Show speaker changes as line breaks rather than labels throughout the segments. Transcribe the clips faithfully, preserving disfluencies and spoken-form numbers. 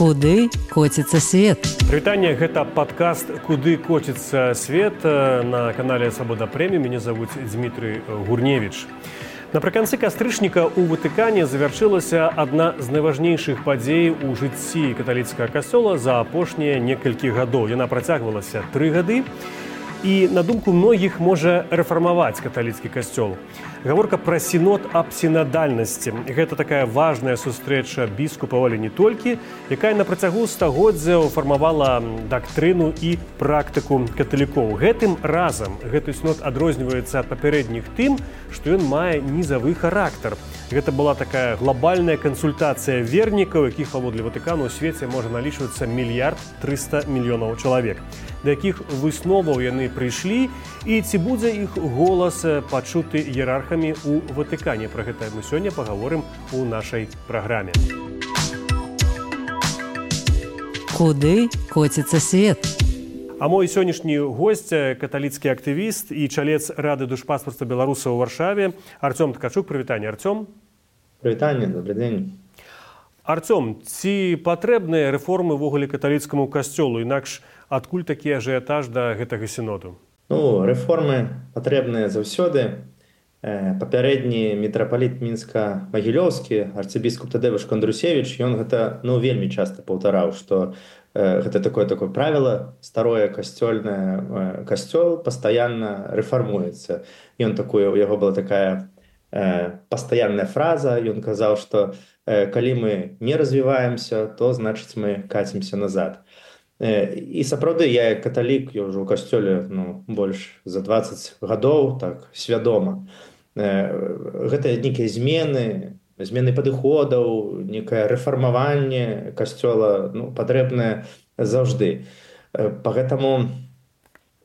Куды коціцца свет?
Прывітанне, гэта падкаст «Куды коціцца свет» на канале «Свабода Прэміум». Мяне завуць Дмітрый Гурневіч. Напрыканцы кастрычніка ў Ватыкане завяршылася адна з найважнейшых падзей у жыцці каталіцкага касцёла за апошнія некалькі гадоў. Яна працягвалася тры гады і, на думку многіх, можа рэфармаваць каталіцкі касцёл. Гаворка пра сінод аб сінадальнасці. Гэта такая важная сустрэча біскупаў, але не толькі, якая на працягу стагоддзяў фармавала дактрыну і практыку каталікоў. Гэтым разам гэты сінод адрозніваецца ад папярэдніх тым, што ён мае нізавы характар. Гэта была такая глобальная кансультацыя вернікаў, якіх паводле Ватыкану ў свеце можа налічвацца мільярд трыста мільёнаў чалавек. Да якіх высноваў яны прыйшлі і ці будзе іх голас пачуты іерархамі у Ватыкане. Пра гэта мы сёння пагаворым у нашай праграме.
Куды коціцца свет?
А мой сённяшні госць, каталіцкі актывіст і чалец Рады душпаспарта беларусаў у Варшаве Артём Ткачук. Прывітанне, Артём.
Прывітанне, добры дзень.
Артём, ці патрэбныя рэформы ўвогуле каталіцкаму касцёлу, інакш адкуль такі ажыятаж да гэтага сіноду?
Ну, рэформы патрэбныя заўсёды. Папярэдні мітрапаліт Мінска-Магілёўскі, арцыбіскуп Тадэвуш Кандрусевіч, ён гэта ну, вельмі часта паўтараў, што э, гэта такое такое правіла, старое касцёльнае касцёл пастаянна рэфармуецца. Ён такое, у яго была такая э, пастаянная фраза, ён казаў, што э, калі мы не развіваемся, то значыць мы кацімся назад. І сапраўды, я як каталік, я ўжо ў касцёле ну, больш за дваццаць гадоў, так, свядома. Гэта нейкія змены, змены падыходаў, некае рэфармаванне касцёла ну, патрэбнае заўжды. Пагэтаму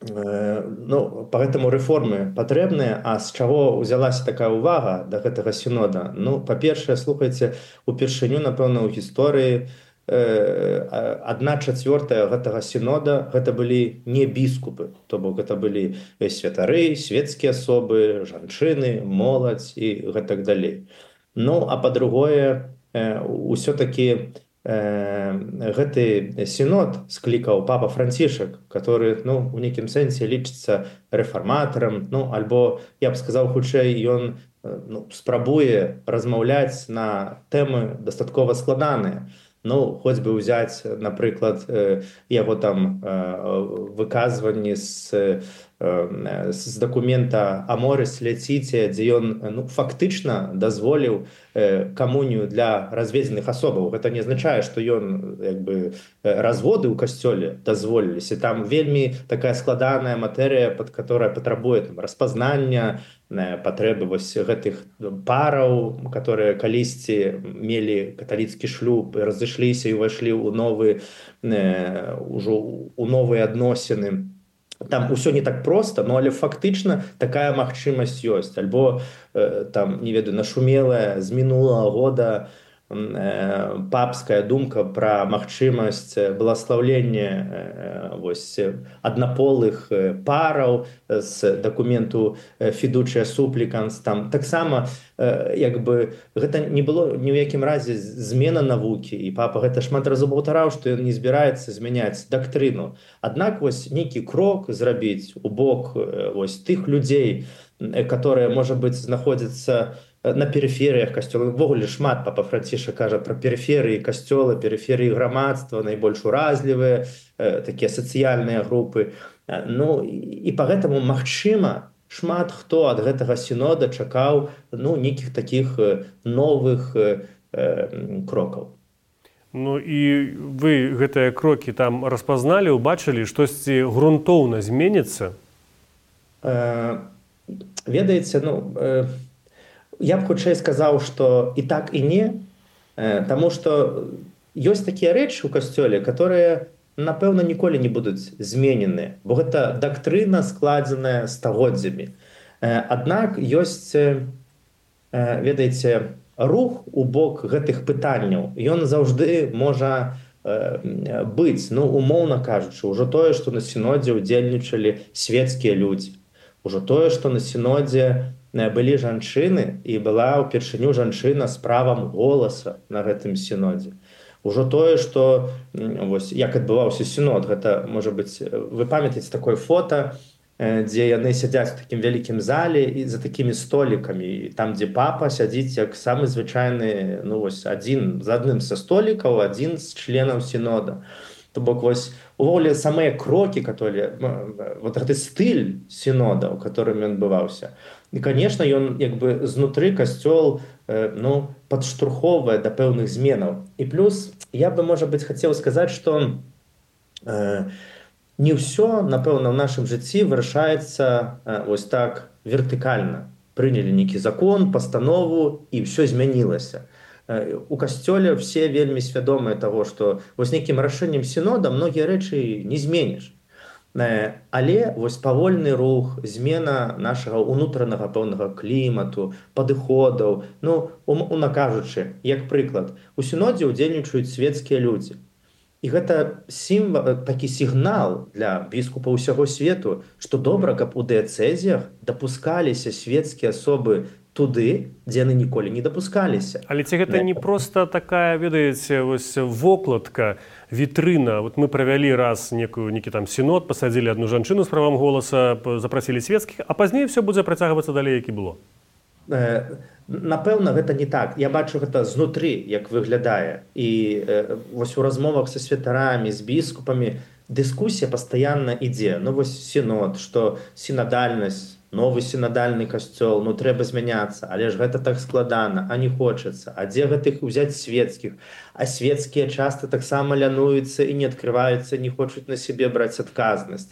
ну, пагэтаму рэформы патрэбныя, а з чаго ўзялася такая ўвага да гэтага сінода? Ну, па-першае, слухайце, упершыню, напэўна, у гісторыі адна чацвёртая гэтага сінода гэта былі не біскупы, то бок гэта былі святары, свецкія асобы, жанчыны, моладзь і гэтак далей. Ну, а па-другое, ўсё-такі гэты сінод склікаў папа Францішак, который ну, у нейкім сэнсе лічыцца рэфарматарам, ну, альбо, я б сказаў, хутчэй, ён ну, спрабуе размаўляць на тэмы дастаткова складаныя. Ну, хоць бы ўзяць, напрыклад, яго там выказванні з, з дакумента «Аморис Летіце», дзе ён ну, фактычна дазволіў камунію для разведзеных асобаў. Гэта не азначае, што ён як бы, разводы ў касцёле дазволіліся. Там вельмі такая складаная матэрыя, пад которая патрабуе там, распазнання, патрэбы вось гэтых параў, которые калісьці мелі каталіцкі шлюб, разышліся і ўвайшлі ў новы, ўжо у новыя адносіны. Там усё не так проста, но але фактычна такая магчымасць ёсць. Альбо там, не ведаю, нашумелая з мінулага года папская думка пра магчымасць благаслаўлення вось аднаполых параў з дакументу «Fiducia supplicans». Там таксама як бы гэта не было ні ў якім разе змена навукі, і папа гэта шмат разоў паўтараў, што ён не збіраецца змяняць дактрыну. Аднак вось нейкі крок зрабіць у бок вось тых людзей, которые, можа быць, знаходзяцца на перыферыях касцёла. Увогуле шмат папа Францішак кажа пра перыферыі касцёла, перыферыі грамадства, найбольш уразлівыя, такія сацыяльныя групы. Ну, і пагэтаму, магчыма, шмат хто ад гэтага сінода чакаў ну, нейкіх такіх новых э, крокаў.
Ну і вы гэтыя крокі там распазналі, убачылі, штосьці грунтоўна зменіцца?
Э, ведаеце, ну... Э, Я б хутчэй сказаў, што і так, і не, таму што ёсць такія рэчы ў касцёле, которые, напэўна, ніколі не будуць зменены, бо гэта дактрына, складзеная стагоддзямі. Аднак ёсць, ведаеце, рух у бок гэтых пытанняў. Ён заўжды можа быць, ну, умоўна кажучы, ужо тое, што на сінодзе ўдзельнічалі свецкія людзі, ужо тое, што на сінодзе былі жанчыны, і была ўпершыню жанчына з правам голаса на гэтым сінодзе. Ужо тое, што вось як адбываўся сінод, гэта можа быць, вы памятаеце такое фота, дзе яны сядзяць у такім вялікім зале і за такімі столікамі, там дзе папа сядзіць як самы звычайны, ну вось адзін з адным са столікаў, адзін з членаў сінода. То бок вось увогуле самыя крокі, которые вот гэты стыль сінода, у которым ён адбываўся. І конечно, ён як бы знутры касцёл ну падштурхоўвае да пэўных зменаў. І плюс я бы, можа быць, хацеў сказаць, што э, не ўсё, напэўна, ў нашым жыцці вырашаецца э, вось так вертыкальна. Прынялі нейкі закон, пастанову і ўсё змянілася. У касцёле все вельмі свядомыя таго, што вось нейкім рашэннем сінода многія рэчы не зменіш. Але вось павольны рух, змена нашага ўнутранага пэўнага клімату, падыходаў, ну, умоўна кажучы, як прыклад, у сінодзе ўдзельнічаюць свецкія людзі. І гэта сімвал, такі сігнал для біскупа ўсяго свету, што добра, каб у дыяцэзіях дапускаліся свецкія асобы туды, дзе яны ніколі не дапускаліся.
Але ці гэта не проста такая, ведаеце, вось вокладка, вітрына. Вот мы правялі раз некую, некі там сінод, пасадзілі адну жанчыну з правам голаса, запрасілі свецкіх, а пазней все будзе працягвацца далей, як і было.
Напэўна, гэта не так. Я бачу гэта знутры, як выглядае. І вось у размовах са святарамі, з біскупамі дыскусія пастаянна ідзе. Ну вось сінод, што сінадальнасць, новы сінадальны касцёл, ну трэба змяняцца, але ж гэта так складана, а не хочацца. А дзе гэтых узяць свецкіх? А свецкія часта таксама лянуюцца і не адкрываюцца, не хочуць на сябе браць адказнасць.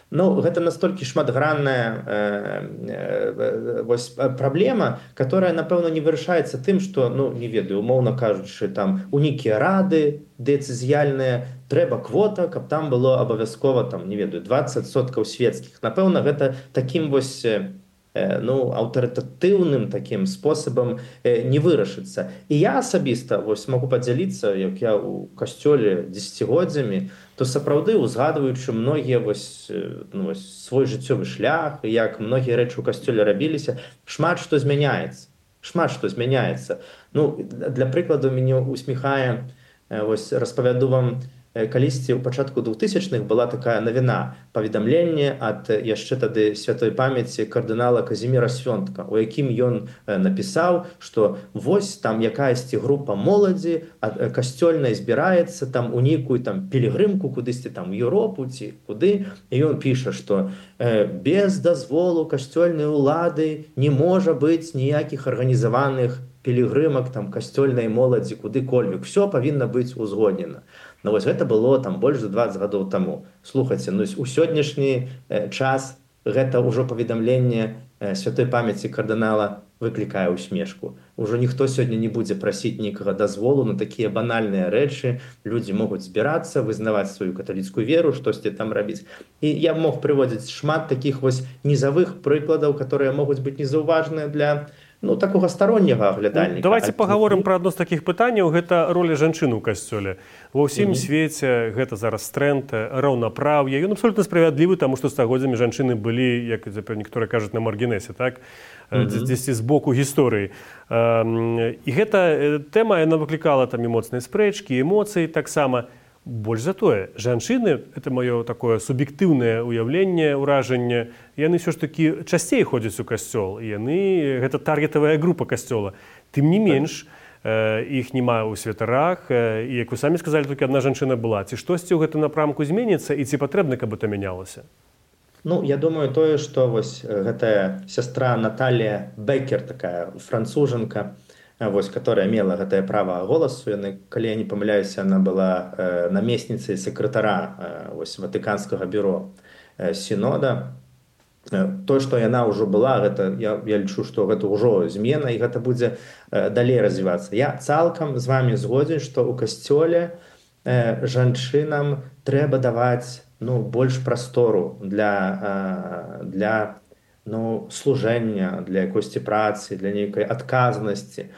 Ну, гэта настолькі шматгранная э, э, вось, праблема, которая, напэўна, не вырашаецца тым, што, ну, не ведаю, умоўна кажучы, там, у нейкія рады дэцызіяльныя, трэба квота, каб там было абавязкова, там, не ведаю, дваццаць адсоткаў свецкіх. Напэўна, гэта такім вось, э, ну, аўтарытатыўным такім спосабам э, не вырашыцца. І я асабіста, вось, магу падзяліцца, як я ў касцёле дзесяцігоддзямі, то сапраўды, узгадваючы многія вось, ну, вось, свой жыццёвы шлях, як многія рэчы ў касцёле рабіліся, шмат што змяняецца. Шмат што змяняецца. Ну, для прыкладу, мяне усміхае, вось, распавяду вам, калісьці ў пачатку двухтысячных была такая навіна, паведамленне ад яшчэ тады святой памяці кардынала Казіміра Свёнтка, у якім ён напісаў, што вось там якаясьці група моладзі касцёльная збіраецца там у нейкую там пілігрымку кудысьці там Еўропу ці куды, і ён піша, што без дазволу касцёльнай улады не можа быць ніякіх арганізаваных пілігрымак там касцёльнай моладзі куды-кольвек, все павінна быць узгоднена. Ну вось гэта было там больш за дваццаць гадоў таму. Слухайце, ну у сённяшні э, час гэта ўжо паведамленне э, святой памяці кардынала выклікае усмешку. Ужо ніхто сёння не будзе прасіць нейкага дазволу на такія банальныя рэчы. Людзі могуць збірацца, вызнаваць сваю каталіцкую веру, штосьці там рабіць. І я мог прыводзіць шмат такіх вось нізавых прыкладаў, которые могуць быць незаўважныя для ну, такога старонняга аглядальніка.
Давайте паговорым пра адно з такіх пытанняў, гэта роля жанчын у касцёле. Ва ўсім mm-hmm. свеце гэта зараз тренд раўнапраўя. Ён абсолютна справядлівы, таму што стагоддзямі жанчыны былі, як некаторыя кажуць, на маргінесе, так? Mm-hmm. Дзесьці з боку гісторыі. І гэта тэма, яна выклікала там і моцныя спрэчкі, эмоцыі таксама. Больш за тое, жанчыны, это маё такое суб'ектыўнае ўяўленне, ўражанне, яны ўсё ж такі часцей ходзяць у касцёл, і яны, гэта таргетавая група касцёла. Тым не менш, э, іх няма ў святарах, э, і, як вы самі сказалі, толькі адна жанчына была. Ці штосьці ў гэтым напрамку зменіцца, і ці патрэбна, каб это мянялася?
Ну, я думаю, тое, што вось гэтая сястра Наталія Беккер, такая францужанка, вось, которая мела гэтае права голасу, яны, калі я не памыляюся, она была э, намесніцай сакратара э, вось, Ватыканскага бюро э, сінода. Э, тое, што яна ўжо была, гэта, я, я лічу, што гэта ўжо змена, і гэта будзе э, далей развівацца. Я цалкам з вами згодзін, што ў касцёле э, жанчынам трэба даваць ну, больш прастору для, э, для ну, служэння, для якосці працы, для нейкай адказнасці.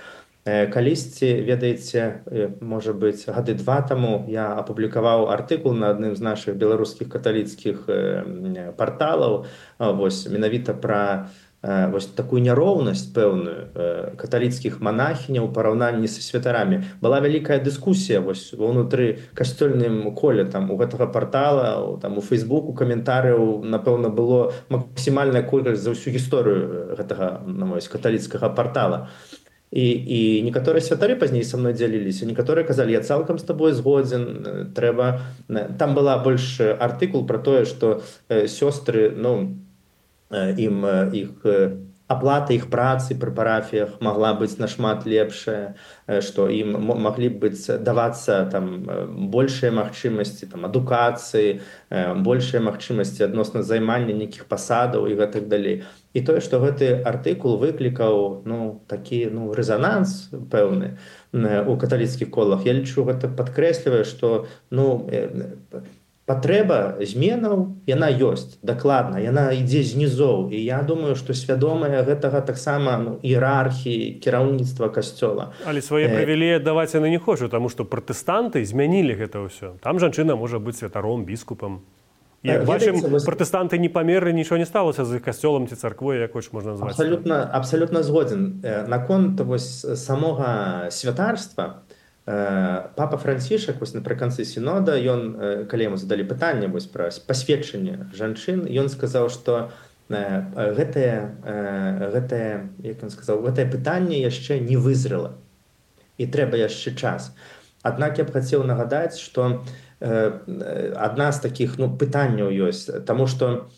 Калісьці, ведаеце, можа быць, гады два таму я апублікаваў артыкул на адным з нашых беларускіх каталіцкіх парталаў, вось, менавіта пра вось такую няроўнасць пэўную каталіцкіх манахіняў у параўнанні са святарамі. Была вялікая дыскусія вось унутры касцёльным коле там у гэтага партала, там у Фейсбуку каментарыяў, напэўна, было максімальная колькасць за ўсю гісторыю гэтага ну, вось, каталіцкага партала. І, і некаторыя святары пазней са мной дзяліліся, некаторыя казалі, я цалкам з табой згодзін, трэба... Там была больш артыкул пра тое, што сёстры, ну, ім іх аплата іх працы пры парафіях магла быць нашмат лепшая, што ім маглі б быць давацца там большыя магчымасці там адукацыі, большыя магчымасці адносна займання нейкіх пасадаў і гэтак далей. І тое, што гэты артыкул выклікаў ну такі ну рэзананс пэўны у каталіцкіх колах. Я лічу, гэта падкрэслівае, што ну патрэба зменаў, яна ёсць, дакладна, яна ідзе знізоў. І я думаю, што свядомая гэтага таксама ну, іерархіі, кіраўніцтва касцёла.
Але свае прывілеі даваць яны не хочуць, таму што пратэстанты змянілі гэта ўсё. Там жанчына можа быць святаром, біскупам. Як бачым, пратэстанты не памерлі, нічого не сталося з іх касцёлам ці царквой, як хоч можна назваць.
Абсалютна, абсалютна згодзін. Наконт вось самога святарства, папа Францішак вось напрыканцы сінода, ён, калі яму задалі пытанне вось пра пасведчанне жанчын, ён сказаў, што гэтае, гэтае, як ён сказаў, гэтае пытанне яшчэ не вызрела. І трэба яшчэ час. Аднак я б хацеў нагадаць, што адна з такіх ну, пытанняў ёсць, таму што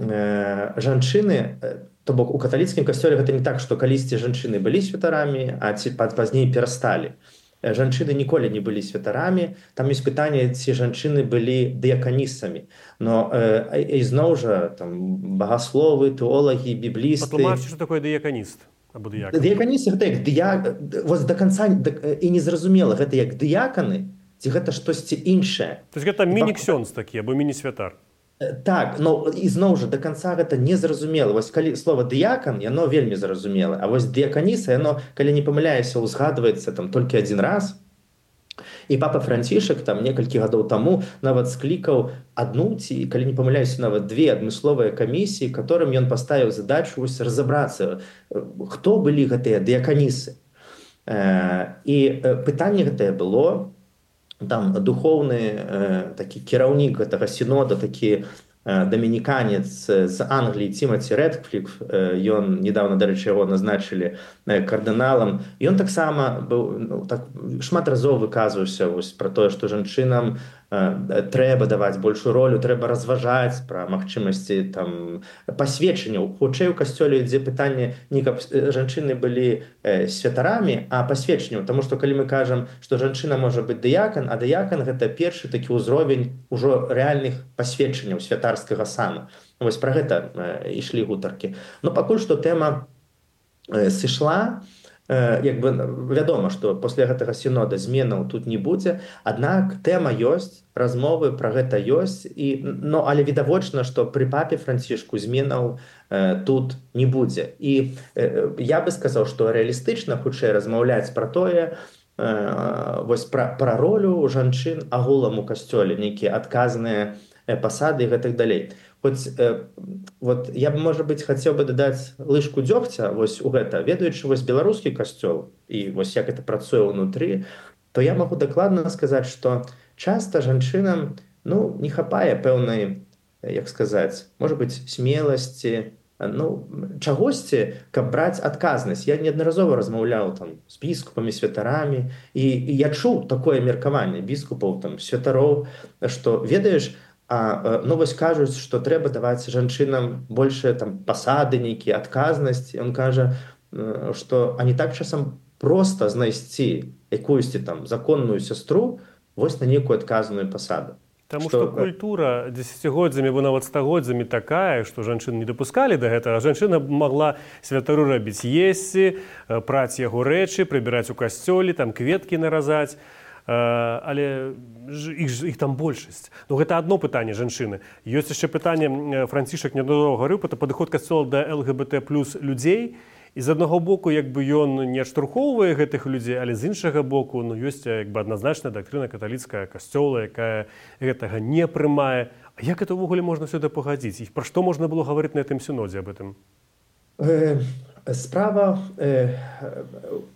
жанчыны, то бок у каталіцкім касцёле гэта не так, што калісьці жанчыны былі святарамі, а ці пазней перасталі. Жанчыны ніколі не былі святарамі, там ёсць пытанне, ці жанчыны былі дыяканісамі. Но і зноў жа там багасловы, тэолагі, біблісты...
Патлумачце, што такое дыяканіст?
Дыяканіст гэта як дыяк... Вось да канца і незразумела, гэта як дыяканы, ці гэта штосьці іншае.
То есть гэта міні-ксёнз такі, або міні-святар?
Так, но і зноў жа да канца гэта незразумела. Вось калі слова дыякан, яно вельмі зразумела. А вось дыяканіса, яно, калі не памыляюся, узгадваецца там толькі адзін раз. І папа Францішак там некалькі гадоў таму нават склікаў адну, ці, калі не памыляюся, нават две адмысловыя камісіі, которым ён паставіў задачу вось разабрацца, хто былі гэтыя дыяканісы. І пытанне гэтае было, там духоўны э, такі кіраўнік гэтага сінода, такі э, дамініканец з Англіі Тімаці Рэдкліф, э, ён недавно, дарэчы, яго назначылі э, кардыналам. Ён таксама быў ну, так, шмат разоў выказваўся вось пра тое, што жанчынам э, трэба даваць большую ролю, трэба разважаць пра магчымасці там пасведчанняў. Хутчэй у касцёле ідзе пытанне не каб жанчыны былі э, святарамі, а пасведчанняў. Таму што калі мы кажам, што жанчына можа быць дыякан, а дыякан гэта першы такі ўзровень ужо рэальных пасведчанняў святарскага сана. Вось пра гэта э, ішлі гутаркі. Но пакуль што тэма э, сышла, як бы вядома, што пасля гэтага сінода зменаў тут не будзе, аднак тэма ёсць, размовы пра гэта ёсць, і, ну, але відавочна, што пры папе Францішку зменаў э, тут не будзе. І э, я бы сказаў, што рэалістычна хутчэй размаўляць пра тое, э, вось пра, пра ролю жанчын агулам у касцёле, нейкія адказныя э, пасады і гэтак далей. Хоць, э, вот, я б, можа быць, хацеў бы дадаць лыжку дзёгця вось у гэта, ведаючы вось беларускі касцёл і вось як это працуе ўнутры, то я магу дакладна сказаць, што часта жанчынам ну, не хапае пэўнай, як сказаць, можа быць, смеласці, ну, чагосьці, каб браць адказнасць. Я неаднаразова размаўляў там з біскупамі, святарамі, і, і я чуў такое меркаванне біскупаў, там, святароў, што, ведаеш, А, ну, вось кажуць, што трэба даваць жанчынам большыя там пасады, нейкія адказнасць. Он кажа, што а не так часам проста знайсці якуюсьці там законную сястру вось на нейкую адказную пасаду.
Таму што культура дзесяцігоддзямі, бо нават стагоддзямі такая, што жанчын не дапускалі да гэтага. Жанчына магла святару рабіць есці, праць яго рэчы, прыбіраць у касцёле, там кветкі наразаць. Але іх, іх там большасць. Ну, гэта адно пытанне жанчыны. Ёсць яшчэ пытанне, Францішак неаднаразова гаварыў, пра падыход касцёла да эл гэ бэ тэ плюс людзей. І з аднаго боку, як бы ён не адштурхоўвае гэтых людзей, але з іншага боку, ну, ёсць як бы адназначная дактрына каталіцкая касцёла, якая гэтага не прымае. А як это ўвогуле можна сюды пагадзіць? І пра што можна было гаварыць на гэтым сінодзе аб гэтым?
Э, Справа э,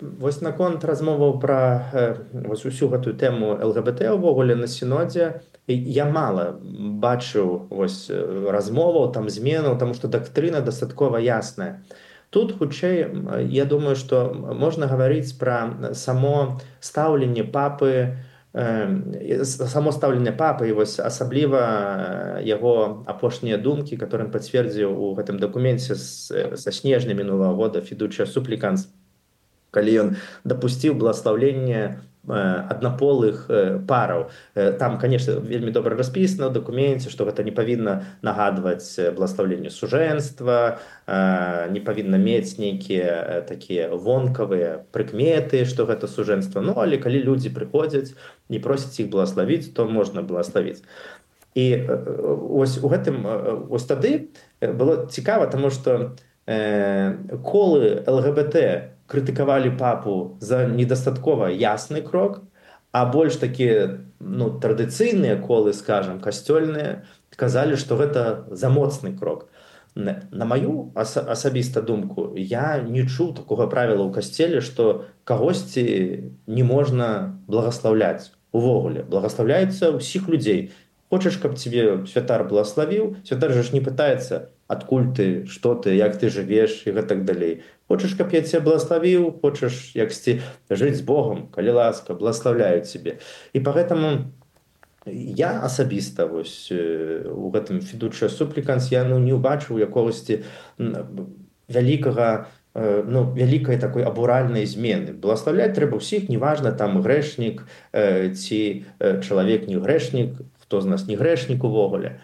вось наконт размоваў пра э, вось усю гэтую тэму ЛГБТ увогуле на сінодзе я мала бачыў вось размоваў там зменаў, таму што дактрына дастаткова ясная. Тут хутчэй я думаю, што можна гаварыць пра само стаўленне папы, само стаўленне папы і вось асабліва яго апошнія думкі, которые ён пацвердзіў у гэтым дакуменце са снежня мінулага года «Fiducia supplicans», калі ён дапусціў благаслаўленне аднаполых параў. Там, конечно, вельмі добра распісана ў дакуменце, што гэта не павінна нагадваць благаслаўленне сужэнства, не павінна мець нейкія такія вонкавыя прыкметы, што гэта сужэнства. Ну, але калі людзі прыходзяць і просяць іх благаславіць, то можна благаславіць. І ось у гэтым ось тады было цікава, таму што колы ЛГБТ крытыкавалі папу за недастаткова ясны крок, а больш такія ну, традыцыйныя колы, скажам, касцёльныя, казалі, што гэта за моцны крок. На маю аса асабіста думку, я не чуў такога правіла ў касцеле, што кагосьці не можна благаслаўляць увогуле. Благаслаўляецца ўсіх людзей. Хочаш, каб тебе святар благаславіў, святар жа ж не пытаецца, адкуль ты, што ты, як ты жывеш і гэтак далей. Хочаш, каб я цябе благаславіў, хочаш яксьці жыць з Богом, калі ласка, благаслаўляю цябе. І пагэтаму я асабіста вось у гэтым «Fiducia supplicans» я ну, не ўбачыў якогосьці вялікага ну, вялікай такой абуральнай змены. Благаслаўляць трэба ўсіх, неважна, там грэшнік ці чалавек не грэшнік, хто з нас не грэшнік увогуле.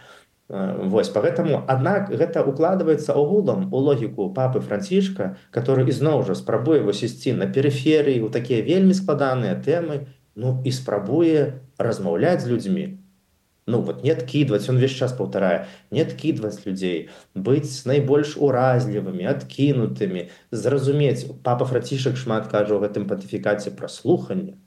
Вось, пагэтаму, аднак гэта укладваецца агулам у логіку папы Францішка, который ізноў жа спрабуе вось ісці на перыферыі ў такія вельмі складаныя тэмы, ну і спрабуе размаўляць з людзьмі. Ну вот не адкідваць, он весь час паўтарае, не адкідваць людзей, быць найбольш уразлівымі, адкінутымі, зразумець. Папа Францішак шмат кажа ў гэтым пантыфікаце пра слуханне.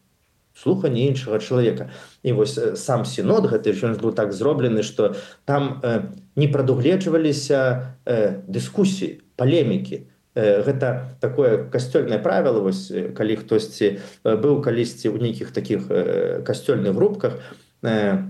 Слуханне іншага чалавека. І вось сам сінод гэты, ён быў так зроблены, што там э, не прадугледжваліся э, дыскусіі, палемікі. Э, гэта такое касцёльнае правіла, вось, калі хтосьці быў калісьці ў нейкіх такіх э, касцёльных групках, э,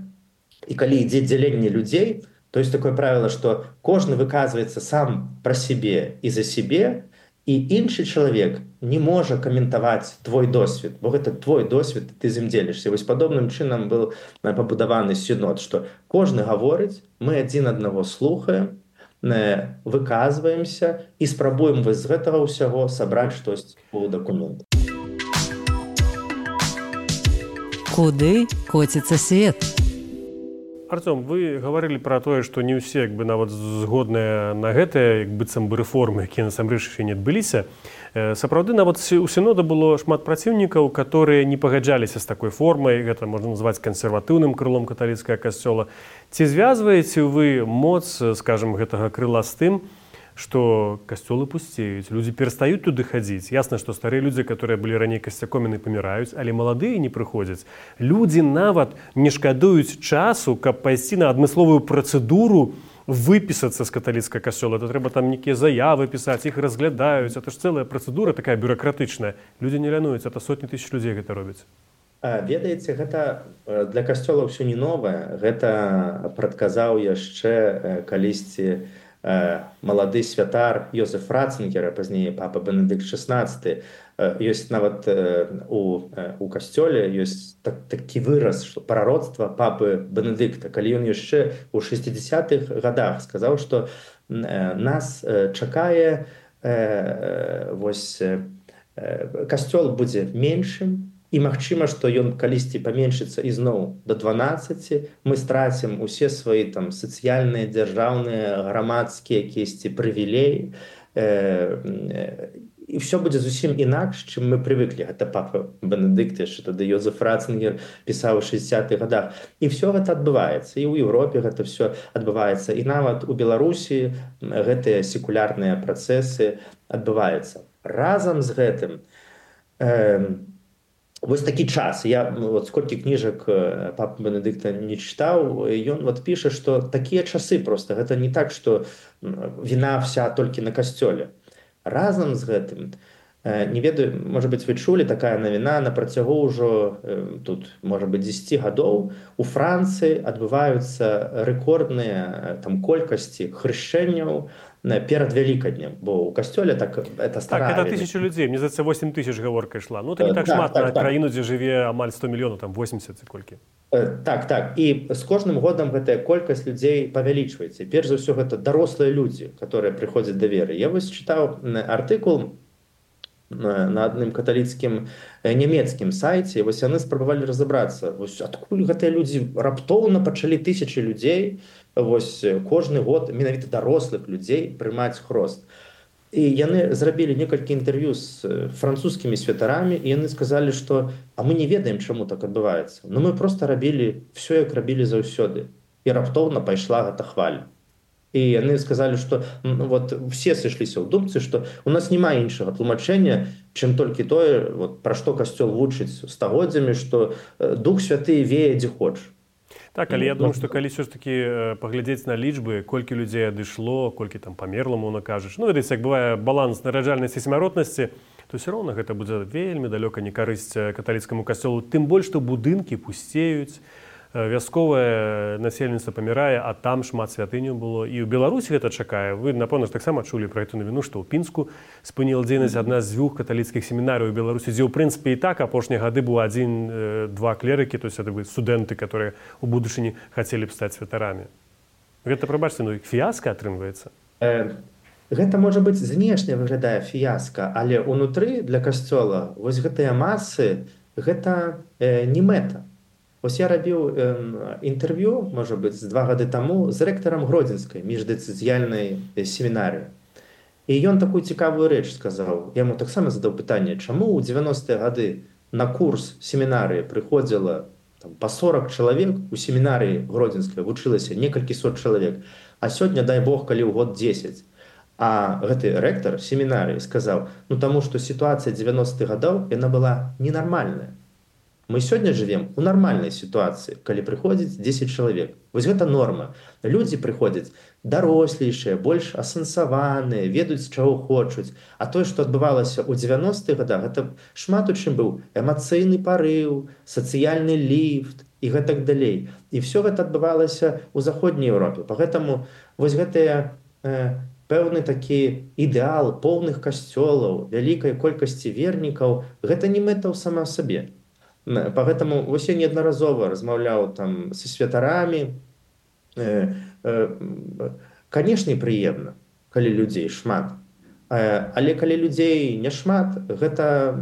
і калі ідзе дзяленне людзей, то ёсць такое правіла, што кожны выказваецца сам пра сябе і за сябе, і іншы чалавек не можа каментаваць твой досвед, бо гэта твой досвед, ты з ім дзелішся. Вось падобным чынам быў пабудаваны сінод, што кожны гаворыць, мы адзін аднаго слухаем, выказваемся і спрабуем вось з гэтага ўсяго сабраць штось у дакумент.
Куды коціцца свет?
Артём, вы гаварылі пра тое, што не ўсе як бы нават згодныя на гэтыя як быццам бы рэформы, якія насамрэч яшчэ не адбыліся. Сапраўды нават у сінода было шмат праціўнікаў, которые не пагаджаліся з такой формай, гэта можна назваць кансерватыўным крылом каталіцкага касцёла. Ці звязваеце вы моц, скажем, гэтага крыла з тым, што касцёлы пусцеюць, людзі перастаюць туды хадзіць. Ясна, што старыя людзі, которые былі раней касцякоміны, паміраюць, але маладыя не прыходзяць. Людзі нават не шкадуюць часу, каб пайсці на адмысловую працэдуру выпісацца з каталіцкага касцёла. Это трэба там нейкія заявы пісаць, іх разглядаюць. Это ж цэлая працэдура такая бюракратычная. Людзі не лянуюць, это сотні тысяч людзей гэта робяць.
Ведаеце, гэта для касцёла ўсё не новае. Гэта прадказаў яшчэ калісьці малады святар Йозеф Ратцингер, пазней папа Бенедыкт шаснаццаты. Ёсць нават у, у касцёле ёсць так, такі выраз, што прароцтва папы Бенедыкта, калі ён яшчэ ў шэсцідзесятых гадах сказаў, што нас чакае вось, касцёл будзе меншым, і магчыма, што ён калісьці паменшыцца ізноў да дванаццаці, мы страцім усе свае там сацыяльныя, дзяржаўныя, грамадскія якіясьці прывілеі, і ўсё будзе зусім інакш, чым мы прывыклі. Гэта папа Бенедыкт, яшчэ тады Йозеф Ратцингер пісаў у шэсцідзесятых гадах. І ўсё гэта адбываецца. І ў Еўропе гэта ўсё адбываецца. І нават у Беларусі гэтыя секулярныя працэсы адбываюцца. Разам з гэтым э, вось такі час. Я вот сколькі кніжак папы Бенедыкта не чытаў, ён вот піша, што такія часы проста. Гэта не так, што віна вся толькі на касцёле. Разам з гэтым, не ведаю, можа быць, вы чулі, такая навіна, на працягу ўжо тут, можа быць, дзесяці гадоў у Францыі адбываюцца рэкордныя там колькасці хрышчэнняў перад Вялікаднем, бо ў касцёле так это старая...
Так, это тысяча людзей, мне здаецца, восемь тысяч гаворка ішла. Ну, это не так, так шмат так, на так. краіну, дзе жыве амаль сто мільёнаў, там восемьдесят ці колькі.
Так, так, і з кожным годам гэтая колькасць людзей павялічваецца. Перш за ўсё, гэта дарослыя людзі, которые прыходзяць да веры. Я вось чытаў артыкул на адным каталіцкім нямецкім сайце, вось яны спрабавалі разабрацца, вось адкуль гэтыя людзі раптоўна пачалі тысячы людзей вось кожны год менавіта дарослых людзей прымаць хрост. І яны зрабілі некалькі інтэрв'ю з французскімі святарамі, і яны сказалі, што а мы не ведаем, чаму так адбываецца. Ну мы проста рабілі все, як рабілі заўсёды. І раптоўна пайшла гэта хваля. І яны сказалі, што вот все сышліся ў думцы, што у нас няма іншага тлумачэння, чым толькі тое, вот, пра што касцёл вучыць стагоддзямі, што Дух Святы вее дзе хоча.
Так, але я думаю, што калі ўсё ж такі паглядзець на лічбы, колькі людзей адышло, колькі там памерла, мовна кажаш, ну, ведаеце, як бывае баланс нараджальнасці і смяротнасці, то ўсё роўна гэта будзе вельмі далёка не карысць каталіцкаму касцёлу, тым больш, што будынкі пусцеюць, вясковае насельніцтва памірае, а там шмат святыняў было. І ў Беларусі гэта чакае. Вы, напэўна, таксама чулі пра гэту навіну, што ў Пінску спыніла дзейнасць адна з дзвюх каталіцкіх семінарый у Беларусі, дзе, ў прынцыпе, і так апошнія гады быў адзін-два клерыкі, то есть это студэнты, которые у будучыні хацелі б стаць святарамі. Гэта, прабачце, ну, фіяска атрымваецца?
Э, гэта, можа быць, знешне выглядае фіяска, але ўнутры для касцёла вось гэтыя масы, гэта э, не мэта. Вось я рабіў э, інтэрв'ю, можа быць, два гады таму з рэктарам Гродзенскай міждыцызнальнай семінарыі. І ён такую цікавую рэч сказаў. Я яму таксама задаў пытанне, чаму ў дзевяностыя гады на курс семінарыі прыходзіла там, па сорок чалавек, у семінарыі Гродзенскай вучылася некалькі сот чалавек, а сёння, дай Бог, калі ў год дзесяць. А гэты рэктар семінарыі сказаў, ну таму што сітуацыя дзевяностых гадоў, яна была ненармальная. Мы сёння жывем у нармальнай сітуацыі, калі прыходзіць дзесяць чалавек. Вось гэта норма. Людзі прыходзяць дарослейшыя, больш асэнсаваныя, ведаюць, чаго хочуць. А тое, што адбывалася ў дзевяностых гадах, гэта шмат у чым быў эмацыйны парыў, сацыяльны ліфт і гэтак далей. І ўсё гэта адбывалася ў заходняй Еўропе. Пагэтаму вось гэтыя э, пэўны такі ідэал поўных касцёлаў, вялікай колькасці вернікаў, гэта не мэта ў сама сабе. Поэтому вось я неаднаразова размаўляў там са святарамі. Э, э, канешне, прыемна, калі людзей шмат. Э, але калі людзей не шмат, гэта,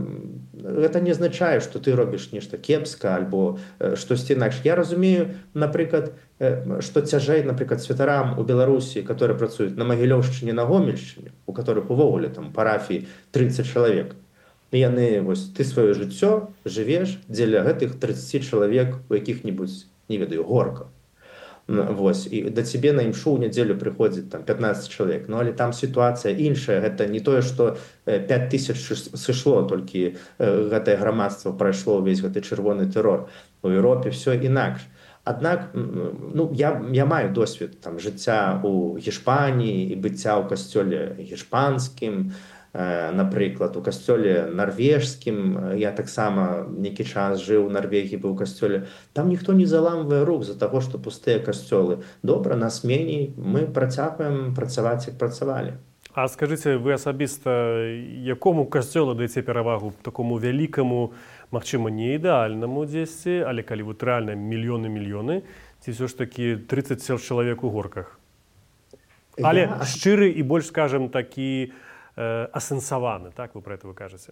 гэта не азначае, што ты робіш нешта кепска альбо э, штосьці інакш. Я разумею, напрыклад, э, што цяжэй, напрыклад, святарам у Беларусі, которые працуюць на Магілёўшчыне, на Гомельшчыне, у которых увогуле там парафіі тридцать чалавек. І яны, вось, ты сваё жыццё жывеш дзеля гэтых тридцати чалавек у якіх-небудзь, не ведаю, горках. Вось, і да цябе на імшу ў нядзелю прыходзіць там пятнадцать чалавек. Ну, але там сітуацыя іншая. Гэта не тое, што пять тысяч сышло, толькі гэтае грамадства прайшло ўвесь гэты чырвоны тэрор. У Еўропе ўсё інакш. Аднак, ну, я, я маю досвед там жыцця ў Гішпаніі і быцця ў касцёле гішпанскім, напрыклад, у касцёле нарвежскім, я таксама нейкі час жыў у Нарвегіі, быў у касцёле. Там ніхто не заламвае рук за таго, што пустыя касцёлы. Добра, нас меней, мы працягваем працаваць, як працавалі.
А скажыце, вы асабіста якому касцёлу даеце перавагу, такому вялікаму, магчыма, не ідэальнаму дзесьці, але калі вот рэальна мільёны-мільёны, ці ўсё ж такі тридцать чалавек у горках? Але я... шчыры і больш, скажем, такі асэнсаваны, так вы про это вы кажаце?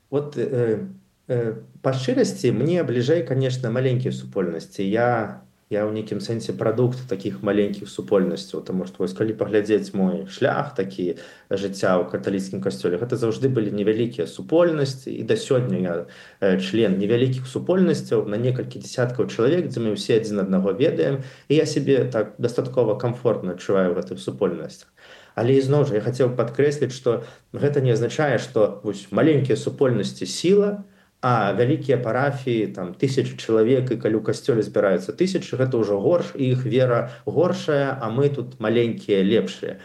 Вот э, э, па шчырасці мне бліжэй, конечно, маленькія супольнасці. Я, я ў нейкім сэнсе прадукт такіх маленькіх супольнасцяў, таму што вось калі паглядзець мой шлях такі жыцця ў каталіцкім касцёле, гэта заўжды былі невялікія супольнасці, і да сёння я э, член невялікіх супольнасцяў на некалькі дзесяткаў чалавек, дзе мы ўсе адзін аднаго ведаем, і я сябе так дастаткова камфортна адчуваю ў гэтых супольнасцях. Але ізноў жа я хацеў падкрэсліць, што гэта не азначае, што вось маленькія супольнасці сіла, а вялікія парафіі, там тысячы чалавек, і калі ў касцёле збіраюцца тысячы, гэта ўжо горш, і іх вера горшая, а мы тут маленькія лепшыя.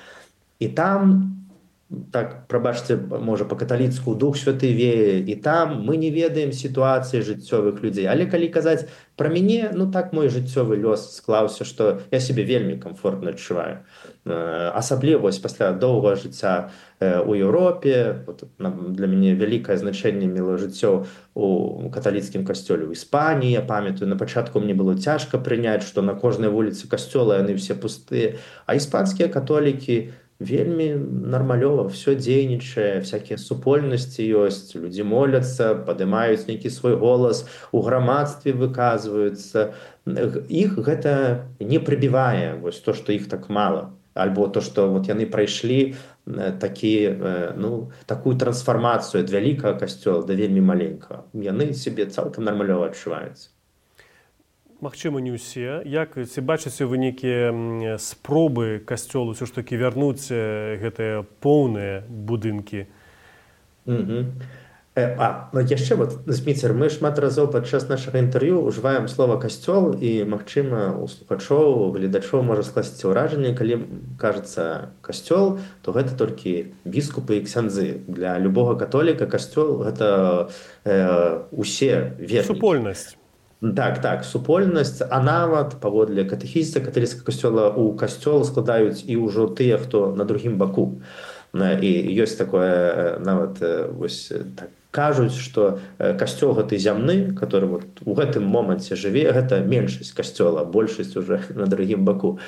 І там так, прабачце, можа, па-каталіцку Дух Святы вее, і там мы не ведаем сітуацыі жыццёвых людзей. Але калі казаць пра мяне, ну так мой жыццёвы лёс склаўся, што я сябе вельмі камфортна адчуваю. Асабліва вось пасля доўгага жыцця у Еўропе, для мяне вялікае значэнне мела жыццё у каталіцкім касцёле ў Іспаніі. Я памятаю, на пачатку мне было цяжка прыняць, што на кожнай вуліцы касцёла яны ўсе пустыя, а іспанскія католікі вельмі нармалёва, все дзейнічае, всякія супольнасці ёсць, людзі моляцца, падымаюць нейкі свой голас, у грамадстве выказваюцца. Іх гэта не прыбівае, вось то, што іх так мала, альбо то, што вот яны прайшлі такі, ну, такую трансфармацыю ад вялікага касцёла да вельмі маленькага. Яны сябе цалкам нармалёва адчуваюць.
Магчыма, не ўсе. Як ці бачыце вы нейкія спробы касцёлу ўсё ж такі вярнуць гэтыя поўныя будынкі?
Mm-hmm. А, ну яшчэ вот, Зміцер, мы шмат разоў падчас нашага інтэрв'ю ўжываем слова касцёл, і, магчыма, у слухачоў, у гледачоў можа скласціся ўражанне, калі кажацца касцёл, то гэта толькі біскупы і ксяндзы. Для любога католіка касцёл гэта э, усе вернікі.
Супольнасць.
Так, так, супольнасць, а нават паводле катэхізіса каталіцкага касцёла у касцёл складаюць і ўжо тыя, хто на другім баку. І ёсць такое, нават вось так кажуць, што касцёл гэты зямны, который вот у гэтым моманце жыве, гэта меншасць касцёла, большасць уже на другім баку.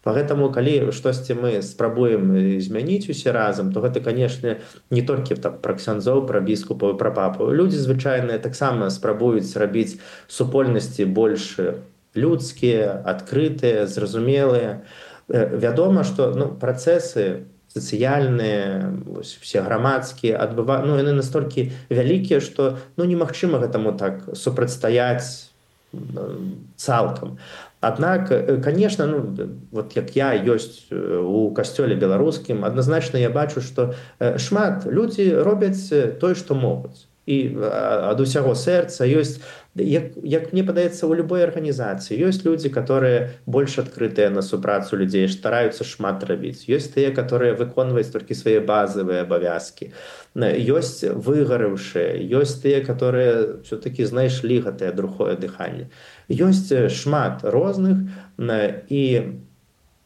Поэтому, калі штосьці мы спрабуем змяніць усе разам, то гэта, канешне, не толькі там пра ксяндзоў, пра біскупаў, пра папаў. Людзі звычайныя таксама спрабуюць рабіць супольнасці больш людскія, адкрытыя, зразумелыя. Вядома, што ну, працэсы сацыяльныя, все грамадскія адбываюць, ну, яны настолькі вялікія, што ну, немагчыма гэтаму так супрацьстаяць цалкам. Аднак, конечно, ну, вот як я ёсць у касцёле беларускім, адназначна я бачу, што шмат людзі робяць тое, што могуць. І ад усяго сэрца ёсць, як, як мне падаецца, у любой арганізацыі, ёсць людзі, которые больш адкрытыя на супрацу людзей, стараюцца шмат рабіць. Ёсць тыя, которые выконваюць толькі свае базавыя абавязкі. Ёсць выгарыўшыя, ёсць тыя, которые все-таки знайшлі гэтае другое дыханне. Ёсць шмат розных, і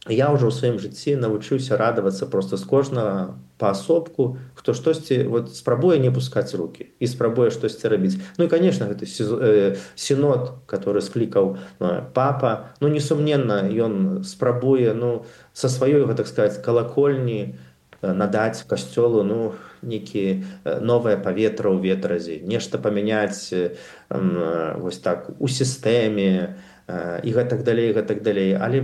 я ўжо ў сваім жыцці навучыўся радавацца просто з кожнага паасобку, хто штосьці вот, спрабуе не пускаць рукі і спрабуе штосьці рабіць. Ну і, конечно, гэты сінод, который склікаў папа, ну, несумненна, ён спрабуе, ну, са сваёй, так сказаць, калакольні надаць касцёлу, ну, нейкі новае паветра ў ветразе, нешта памяняць вось так у сістэме, і гэтак далей, гэтак далей. Але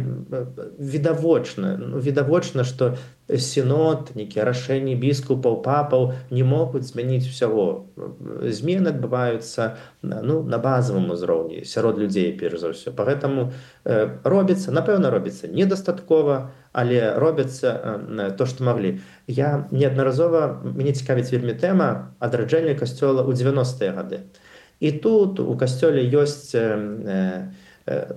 відавочна, ну, відавочна, што сінод, нейкія рашэнні біскупаў, папаў не могуць змяніць усяго. Змены адбываюцца ну, на базавым узроўні, сярод людзей, перш за ўсё. Пагэтаму э, робіцца, напэўна, робіцца недастаткова, але робіцца э, то, што маглі. Я неаднаразова, мяне цікавіць вельмі тэма адраджэння касцёла ў дзевяностыя гады. І тут у касцёле ёсць э,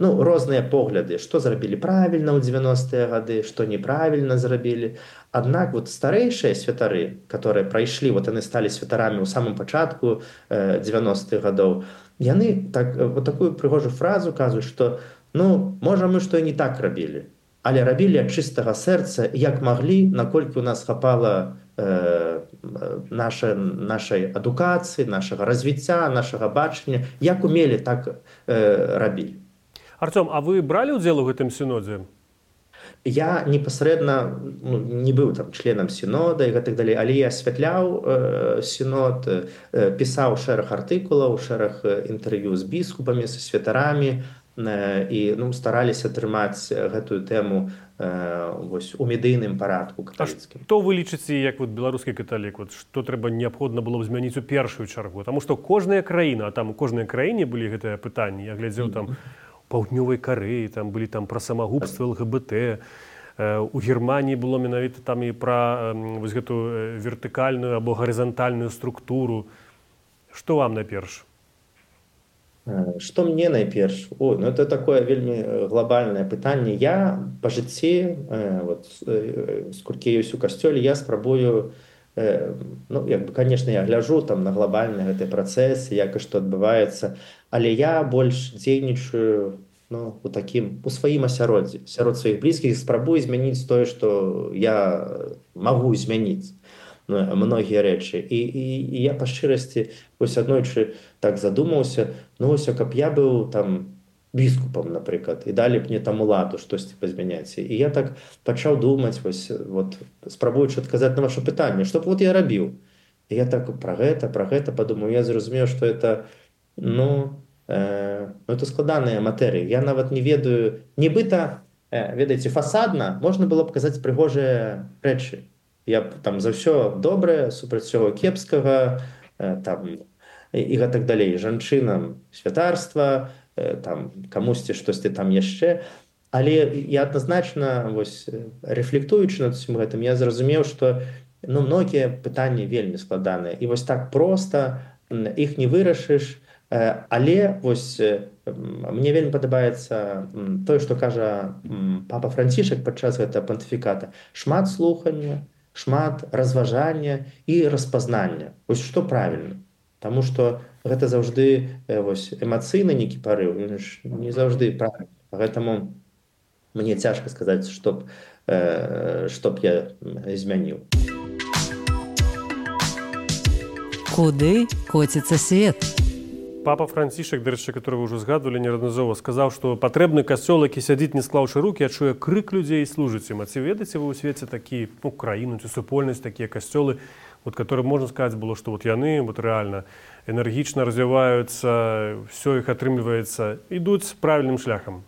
ну, розныя погляды, што зрабілі правільна ў дзевяностыя гады, што неправільна зрабілі. Аднак вот старэйшыя святары, которые прайшлі, вот яны сталі святарамі ў самым пачатку дзевяностых гадоў, яны так, вот такую прыгожую фразу кажуць, што ну, можа мы што і не так рабілі, але рабілі ад чыстага сэрца, як маглі, наколькі у нас хапала э, наша, нашай адукацыі, нашага развіцця, нашага бачання, як умелі, так э, рабілі.
Артём, а вы бралі ўдзел у гэтым сінодзе?
Я непасрэдна ну, не быў там членам сінода і гэтак далей, але я асвятляў э, сінод, э, пісаў шэраг артыкулаў, шэраг інтэрв'ю з біскупамі, са святарамі, э, і ну, стараліся трымаць гэтую тэму э, вось, у медыйным парадку каталіцкім.
А што вы лічыце, як вот, беларускі каталік, вот, што трэба неабходна было б змяніць у першую чаргу? Таму што кожная краіна, а там у кожнай краіне былі гэтыя пытанні, я глядзеў там Паўднёвай Карэі, там былі там пра самагубства эл гэ бэ тэ, у Германіі было менавіта там і пра вось гэту вертыкальную або гарызантальную структуру. Што вам найперш?
Што мне найперш? Ой, ну это такое вельмі глобальнае пытанне. Я па жыцці вот, сколькі ёсць у касцёле, я спрабую, ну, як бы, конечно, я гляджу там на глобальныя гэтыя працэсы, як і што адбываецца, але я больш дзейнічаю, ну, у такім у сваім асяроддзі, сярод сваіх блізкіх, спрабую змяніць тое, што я магу змяніць многія рэчы. І, і, і я па шчырасці вось аднойчы так задумаўся, ну вось, каб я быў там біскупам, напрыклад, і далі б мне там уладу штосьці пазмяняць. І я так пачаў думаць, вось, вот, спрабуючы адказаць на ваше пытанне, што б вот я рабіў. І я так пра гэта, пра гэта падумаў, я зразумеў, што это, ну, э, ну, это складаныя матэрыі. Я нават не ведаю, нібыта, э, ведаеце, фасадна можна было б казаць прыгожыя рэчы. Я там за ўсё добрае, супраць усяго кепскага, э, там, і, і гэтак далей. Жанчынам святарства, э, там, камусьці штосьці там яшчэ. Але я адназначна, вось, рэфлектуючы над усім гэтым, я зразумеў, што, ну, многія пытанні вельмі складаныя. І вось так проста іх не вырашыш. Э, але вось э, мне вельмі падабаецца тое, што кажа папа Францішак падчас гэтага пантыфіката. Шмат слухання, шмат разважання і распазнання. Вось што правільна. Таму што гэта заўжды вось, эмацыйны нейкі парыў, не заўжды правільна. Гэтаму мне цяжка сказаць, што б, э, што б я змяніў.
Куды коціцца свет?
Папа Францішак, да рэчы, которого ўжо згадвалі неаднаразова, сказаў, што патрэбны касцёл, які сядзіць не склаўшы рукі, а чуе крык людзей і служыць ім. А ці ведаеце вы ў свеце такі, ну, краіну ці супольнасць, такія касцёлы, вот, которые можна сказаць было, што вот яны вот, рэальна энергічна развіваюцца, все іх атрымліваецца, ідуць правільным шляхам?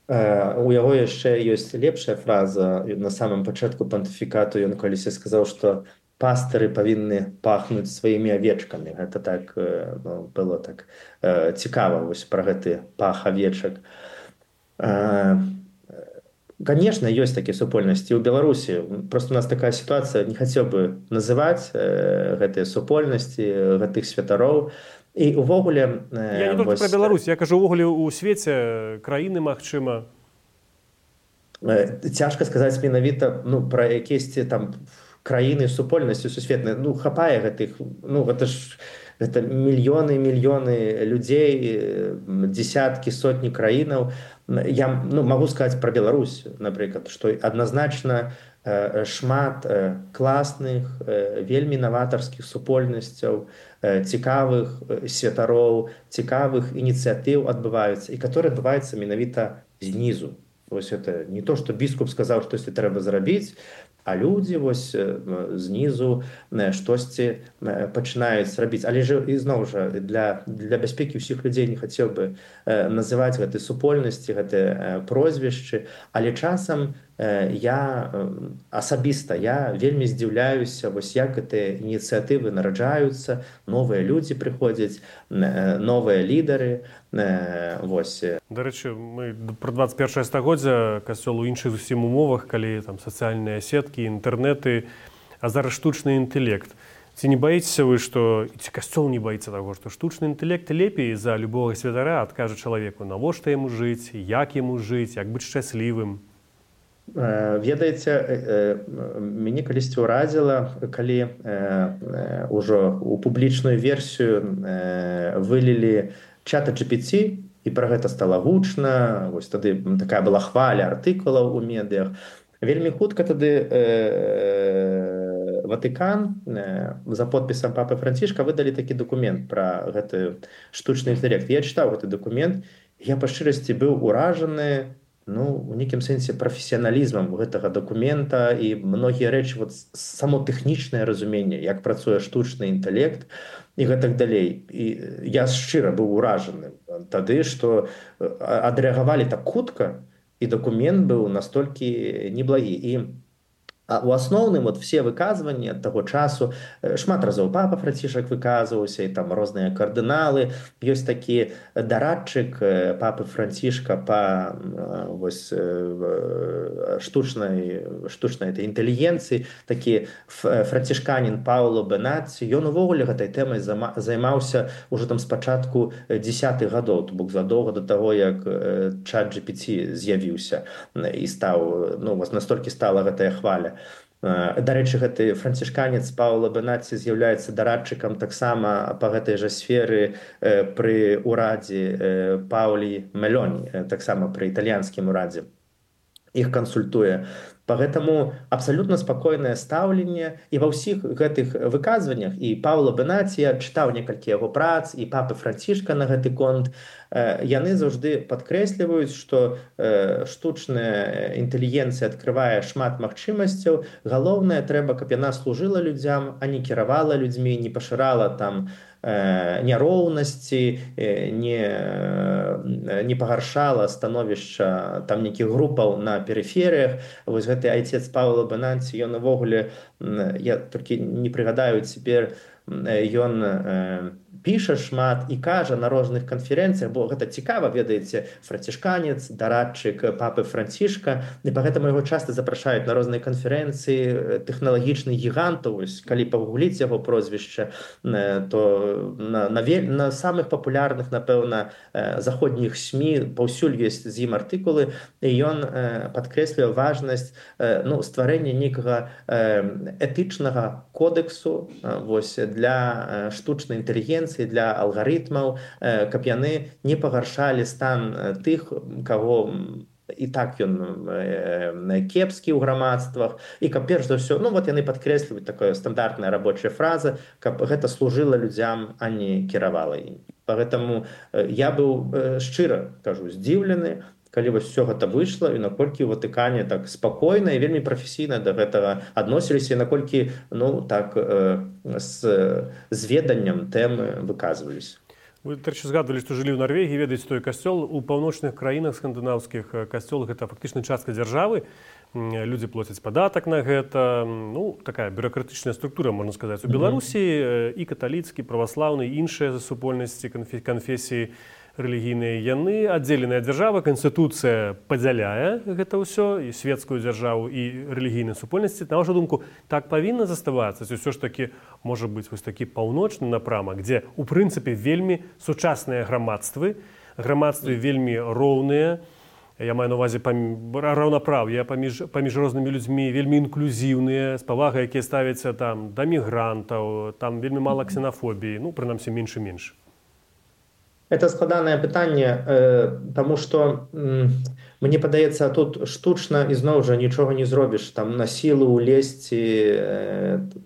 У яго яшчэ ёсць лепшая фраза на самым пачатку пантыфікату. Ён калісьці сказаў, што пастыры павінны пахнуць сваімі авечкамі. Гэта так, ну, было так э, цікава вось пра гэты пах авечак. Э, Конечно, ёсць такія супольнасці ў Беларусі. Просто у нас такая сітуацыя, не хацеў бы называць э, гэтыя супольнасці, гэтых святароў. І увогуле...
Э, я не толькі вось... пра Беларусь, я кажу увогуле ў свеце краіны, магчыма.
Э, цяжка сказаць менавіта, ну, пра якісьці там краіны супольнасці сусветнай. Ну, хапае гэтых, ну, гэта ж гэта мільёны мільёны людзей, дзесяткі, сотні краінаў. Я, ну, магу сказаць пра Беларусь, напрыклад, што адназначна э, шмат э, класных, э, вельмі наватарскіх супольнасцяў, э, цікавых святароў, цікавых ініцыятыў адбываюцца, і которые адбываюцца менавіта знізу. Вось это не то, што біскуп сказаў, штосьці трэба зрабіць, а людзі вось знізу штосьці пачынаюць рабіць. Але ж ізноў жа для, для бяспекі ўсіх людзей не хацеў бы называць гэтай супольнасці, гэтыя прозвішчы, але часам я асабіста я вельмі здзіўляюся, вось як гэтыя ініцыятывы нараджаюцца, новыя людзі прыходзяць, новыя лідары. Вось.
Дарэчы, мы пра дваццаць першае стагоддзя, касцёл у іншых зусім умовах, калі там сацыяльныя сеткі, інтэрнэты, а зараз штучны інтэлект. Ці не баіцеся вы, што ці касцёл не баіцца таго, што штучны інтэлект лепей за любога святара адкажа чалавеку, навошта яму жыць, як яму жыць, як быць шчаслівым?
Ведаеце, мяне калісьці ўразіла, калі ўжо у публічную версію вылілі чата джи пі ти, і пра гэта стала гучна, вось тады такая была хваля артыкулаў у медыях. Вельмі хутка тады э, Ватыкан э, за подпісам папы Францішка выдалі такі дакумент пра гэты штучны інтэлект. Я чытаў гэты дакумент, я па шчырасці быў уражаны, ну, у нейкім сэнсе прафесіяналізмам гэтага дакумента, і многія рэчы, вот, само тэхнічнае разуменне, як працуе штучны інтэлект, і гэтак далей. І я шчыра быў уражаны тады, што адрэагавалі так хутка, і дакумент быў настолькі неблагі. І А у асноўным вот все выказванні таго часу, шмат разоў папа Францішак выказваўся, і там розныя кардыналы. Ёсць такі дарадчык папы Францішка па вось штучнай штучнай этой інтэлігенцыі, такі францішканін Пауло Бенацці. Ён увогуле гэтай тэмай займаўся ўжо там з пачатку дзесятых гадоў, то бок задоўга да таго, як чат джи пі ти з'явіўся і стаў, ну, вось настолькі стала гэтая хваля. Дарэчы, гэты францішканец Пауло Бенацці з'яўляецца дарадчыкам таксама па гэтай жа сферы пры ўрадзе Паулі Мелоні, таксама пры італьянскім урадзе. Іх кансультуе. Поэтому абсолютно спокойное стаўленне, і ва ўсіх гэтых выказваннях, і Пауло Бенацці, я чытаў некалькі яго прац, і папы Францішка на гэты конт, яны заўжды падкрэсліваюць, што штучная інтэлігенцыя адкрывае шмат магчымасцяў. Галоўнае, трэба, каб яна служыла людзям, а не кіравала людзьмі, не пашырала там няроўнасці, не, не пагаршала становішча там нейкіх групаў на перыферыях. Вось гэты айцец Пауло Бенацці, ён увогуле, я толькі не прыгадаю цяпер, ён піша шмат і кажа на розных канферэнцыях, бо гэта цікава, ведаеце, францішканец, дарадчык папы Францішка, і пагэтаму яго часта запрашаюць на розныя канферэнцыі тэхналагічных гігантаў. Калі пагугліць яго прозвішча, то на, на, на самых папулярных, напэўна, заходніх СМІ паўсюль ёсць з ім артыкулы, і ён падкрэслівае важнасць, ну, стварэння нейкага этычнага кодексу вось, для штучнай інтэлігенцыі, для алгарытмаў, каб яны не пагаршалі стан тых, каго і так ён кепскі ў грамадствах, і каб перш за ўсё, ну вот яны падкрэсліваюць такая стандартная рабочая фраза, каб гэта служыла людзям, а не кіравала ім. Поэтому я быў шчыра, кажу, здзіўлены, калі вось все гэта выйшла, і наколькі ў Ватыкане так спакойна і вельмі прафесійна да гэтага адносіліся, і наколькі, ну, так з, з веданнем тэмы выказваліся.
Вы, дарэчы, згадвалі, што жылі ў Нарвегіі, ведаеце той касцёл. У паўночных краінах скандынаўскіх касцёл гэта фактычна частка дзяржавы. Людзі плацяць падатак на гэта. Ну, такая бюракратычная структура, можна сказаць. У Беларусі і каталіцкі, праваслаўны, іншыя супольнасці, канфесіі рэлігійныя, яны аддзеленая дзяржава, канстытуцыя падзяляе гэта ўсё, і светскую дзяржаву, і рэлігійныя супольнасці. На вашу думку, так павінна заставацца? Ці ўсё ж такі можа быць вось такі паўночны напрамак, дзе у прынцыпе вельмі сучасныя грамадствы, грамадствы вельмі роўныя, я маю на ўвазе раўнапраўе паміж, паміж рознымі людзьмі, вельмі інклюзіўныя, з павагай, якія ставяцца там да мігрантаў, там вельмі мала ксенафобіі, ну, прынамсі, менш і менш.
Это складанае пытанне, таму што, мне падаецца, тут штучна ізноў жа нічога не зробіш, там на сілу улезці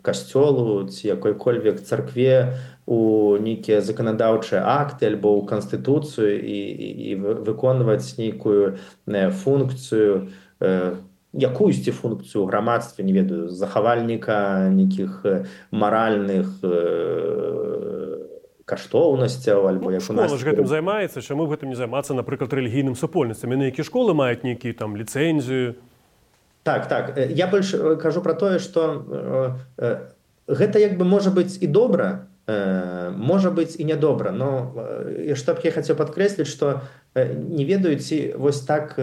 касцёлу ці якой-кольвек царкве у нейкія заканадаўчыя акты альбо ў канстытуцыю і, і, і выконваць нейкую функцыю, якуюсьці функцыю ў грамадстве, не ведаю, захавальніка нейкіх маральных каштоўнасцяў, альбо як у нас...
Школа ж гэтым займаецца, чаму гэтым не займацца, напрыклад, рэлігійным супольнасцям? Яны якія школы маюць нейкія там ліцэнзію? Так,
так. Я больш кажу пра тое, што гэта як бы можа быць і добра, можа быць і нядобра, но што б я хацеў падкрэсліць, што не ведаю, ці вось так,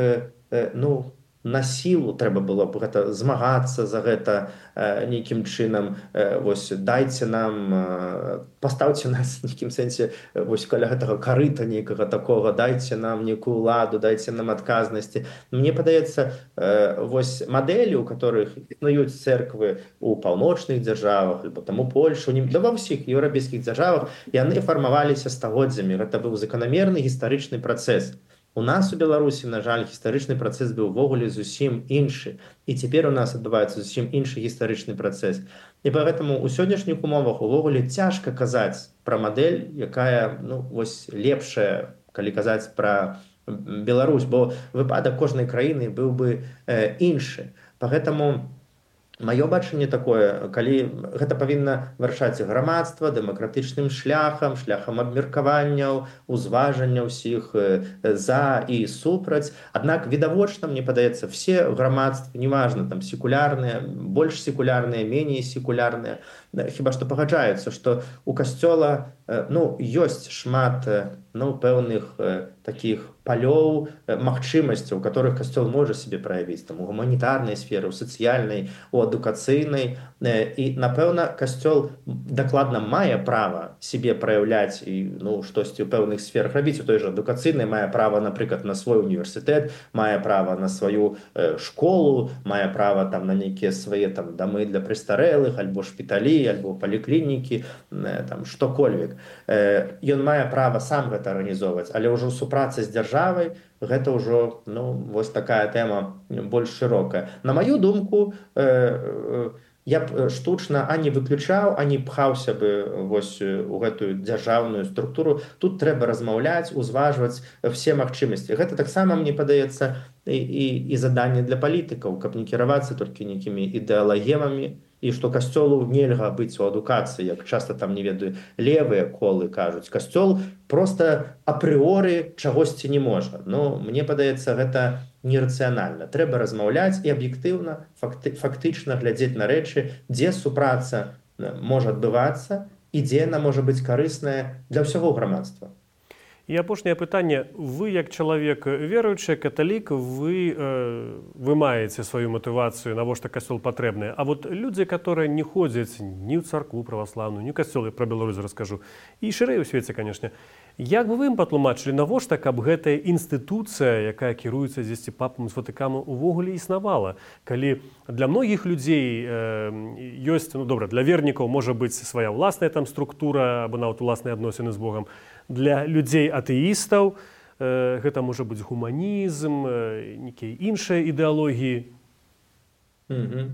ну, на сілу трэба было б гэта змагацца за гэта э, нейкім чынам, э, вось дайце нам, э, пастаўце нас нейкім сэнсе вось каля гэтага карыта нейкага такога, дайце нам нейкую ўладу, дайце нам адказнасці. Мне падаецца, э, вось мадэлі, у которых існуюць церквы у паўночных дзяржавах, альбо там у Польшы, да ва ўсіх еўрапейскіх дзяржавах, яны фармаваліся стагоддзямі. Гэта быў заканамерны гістарычны працэс. У нас у Беларусі, на жаль, гістарычны працэс быў увогуле зусім іншы. І цяпер у нас адбываецца зусім іншы гістарычны працэс. І поэтому у сённяшніх умовах увогуле цяжка казаць пра мадэль, якая, ну, вось лепшая, калі казаць пра Беларусь, бо выпадак кожнай краіны быў бы э, іншы. Поэтому Маё бачанне такое, калі гэта павінна вырашаць грамадства дэмакратычным шляхам, шляхам абмеркаванняў, узважання ўсіх за і супраць. Аднак відавочна, мне падаецца, все грамадствы, неважна, там секулярныя, больш секулярныя, меней секулярныя, хіба што пагаджаюцца, што у касцёла ну, ёсць шмат ну, пэўных такіх палёў, магчымасцяў, у которых касцёл можа себе праявіць там, у гуманітарнай сферы, у сацыяльнай, у адукацыйнай. І, напэўна, касцёл дакладна мае права себе праяўляць і ну, штосьці ў пэўных сферах рабіць. У той жа адукацыйнай мае права, напрыклад, на свой універсітэт, мае права на сваю э, школу, мае права там, на нейкія свае там, дамы для прыстарэлых, альбо шпіталі, альбо паліклінікі, э, там, што-кольвек. Э, ён мае права сам гэта арганізоўваць, але ўжо ў супрацы з дзяржавай гэта ўжо ну, вось такая тэма больш шырокая. На маю думку, э, э, я б штучна ані выключаў, ані пхаўся бы вось у гэтую дзяржаўную структуру. Тут трэба размаўляць, узважваць все магчымасці. Гэта таксама, мне падаецца, і, і, і заданне для палітыкаў, каб не кіравацца толькі нейкімі ідэалагемамі, і што касцёлу нельга быць у адукацыі, як часта там, не ведаю, левыя колы кажуць. Касцёл проста апрыоры чагосьці не можа. Ну, мне падаецца, гэта нерацыянальна. Трэба размаўляць і аб'ектыўна, факты, фактычна глядзець на рэчы, дзе супраца можа адбывацца і дзе яна можа быць карысная для ўсяго грамадства.
І апошняе пытанне. Вы, як чалавек веруючы, каталік, вы, э, вы маеце сваю матывацыю, навошта касцёл патрэбны. А вот людзі, которые не ходзяць ні ў царкву праваслаўную, ні ў касцёл, я пра Беларусь раскажу, і шырэй у свеце, канешне, як бы вы ім патлумачылі, навошта, каб гэтая інстытуцыя, якая кіруецца дзесьці папам з Ватыкану, увогуле існавала? Калі для многіх людзей э, ёсць, ну добра, для вернікаў можа быць свая ўласная там структура, або нават уласныя адносіны з Богам. Для людзей атэістаў э, гэта можа быць гуманізм, э, нейкія іншыя ідэалогіі.
Mm-hmm.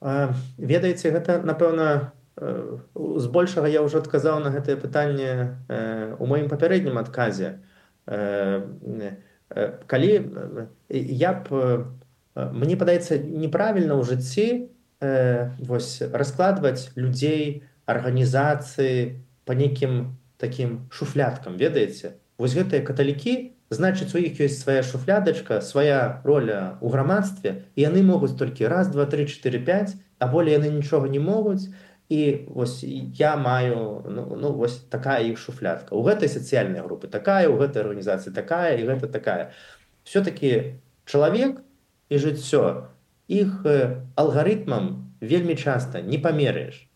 А, ведаеце, гэта, напэўна, э, збольшага я ўжо адказаў на гэтае пытанне э, у маім папярэднім адказе. Э, э, калі я б, э, мне падаецца, неправільна ў жыцці э, вось, раскладваць людзей, арганізацыі па нейкім таким шуфляткам, ведаеце? Вось гэтыя каталікі, значыць, у іх ёсць свая шуфлядачка, свая роля ў грамадстве, і яны могуць толькі раз, два, тры, чатыры, пяць, а болей яны нічога не могуць, і вось я маю, ну, ну вось такая іх шуфлядка. У гэтай сацыяльнай групы такая, у гэтай арганізацыі такая, і гэта такая. Все-таки чалавек і жыццё, іх алгарытмам вельмі часта не памеряеш.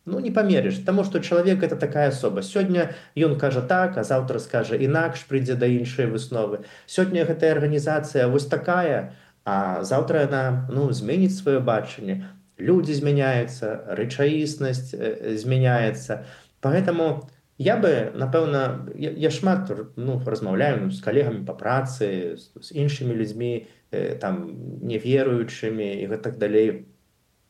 Ну, не памерыш, таму што чалавек это такая асоба. Сёння ён кажа так, а заўтра скажа інакш, прыйдзе да іншай высновы. Сёння гэтая арганізацыя вось такая, а заўтра яна ну, зменіць сваё бачанне. Людзі змяняюцца, рэчаіснасць э, змяняецца. Поэтому я бы, напэўна, я, я шмат ну, размаўляю ну, з калегамі па працы, з, з іншымі людзьмі, э, там, неверуючымі і гэтак далей.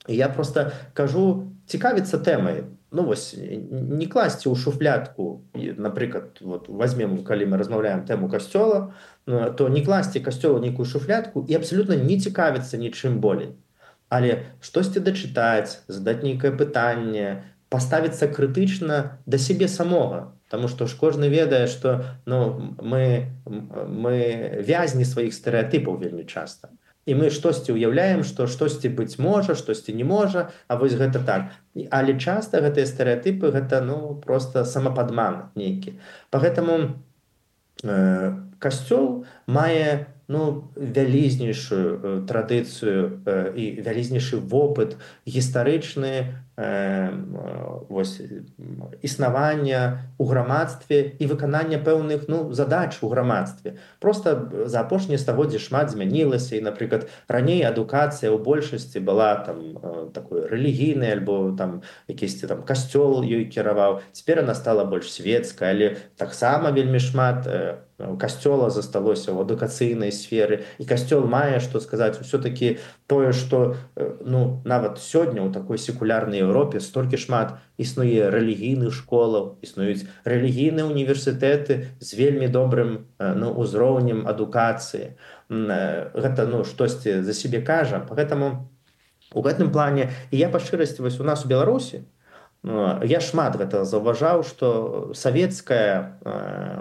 І я просто кажу, цікавіцца тэмай. Ну, вось, не класці ў шуфлядку, напрыклад, вот, возьмем, калі мы размаўляем тэму касцёла, то не класці касцёлу нейкую шуфлядку і абсалютна не цікавіцца нічым болей. Але штосьці дачытаць, задаць нейкае пытанне, паставіцца крытычна да сябе самога. Таму што ж кожны ведае, што ну, мы, мы вязні сваіх стэрэатыпаў вельмі часта. І мы штосьці ўяўляем, што штосьці быць можа, штосьці не можа, а вось гэта так. Але часта гэтыя стэрэатыпы гэта ну, проста самападман нейкі. Пагэтаму э, касцёл мае ну, вялізнейшую традыцыю э, і вялізнейшы вопыт гістарычны э, вось, існавання ў грамадстве і выканання пэўных ну, задач у грамадстве. Проста за апошнія стагоддзі шмат змянілася і, напрыклад, раней адукацыя ў большасці была там такой рэлігійнай альбо там якісьці там касцёл ёй кіраваў. Цяпер яна стала больш светская, але таксама вельмі шмат э, касцёла засталося ў адукацыйнай сферы. І касцёл мае, што сказаць, усё-такі тое, што ну, нават сёння ў такой секулярнай Еўропе столькі шмат існуе рэлігійных школаў, існуюць рэлігійныя універсітэты з вельмі добрым ну, узроўнем адукацыі. Гэта ну, штосьці за сябе кажа. Поэтому У гэтым плане і я па шчырасці вось у нас у Беларусі я шмат гэтага заўважаў, што савецкая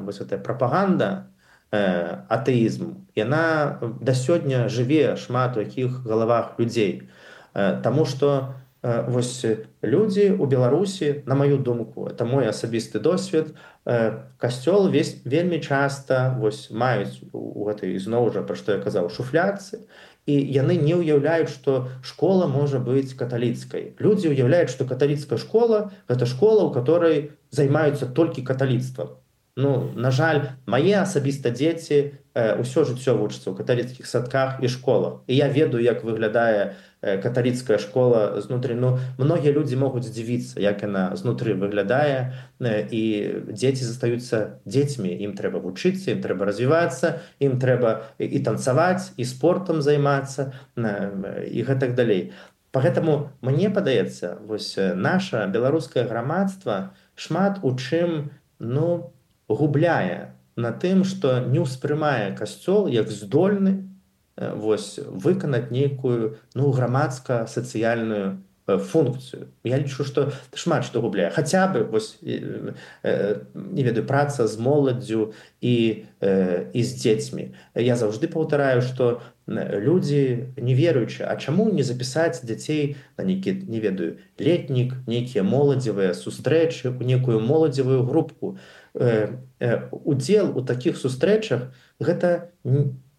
вось гэтая прапаганда, атэізм, яна да сёння жыве шмат у якіх галавах людзей. Таму што вось людзі ў Беларусі, на маю думку, это мой асабісты досвед, касцёл весь вельмі часта вось маюць у гэтай зноў жа, пра што я казаў, шуфляцы, і яны не ўяўляюць, што школа можа быць каталіцкай. Людзі ўяўляюць, што каталіцкая школа – гэта школа, у которой займаюцца толькі каталіцтвам. Ну, на жаль, мае асабіста дзеці ўсё жыццё вучацца ў каталіцкіх садках і школах. І я ведаю, як выглядае каталіцкая школа знутры. Ну, многія людзі могуць здзівіцца, як яна знутры выглядае, і дзеці застаюцца дзецьмі. Ім трэба вучыцца, ім трэба развівацца, ім трэба і танцаваць, і спортам займацца, і гэтак далей. Пагэтаму, мне падаецца, вось наша беларускае грамадства шмат у чым, ну, губляе на тым, што не ўспрымае касцёл як здольны вось, выканаць нейкую ну, грамадска-сацыяльную функцыю. Я лічу, што шмат што губляе. Хаця бы вось, не ведаю, праца з моладдзю і, і з дзецьмі. Я заўжды паўтараю, што людзі не веруючы, а чаму не запісаць дзяцей на нейкі, не ведаю, летнік, нейкія моладзевыя сустрэчы, у некую моладзевую групку. Удзел у такіх сустрэчах гэта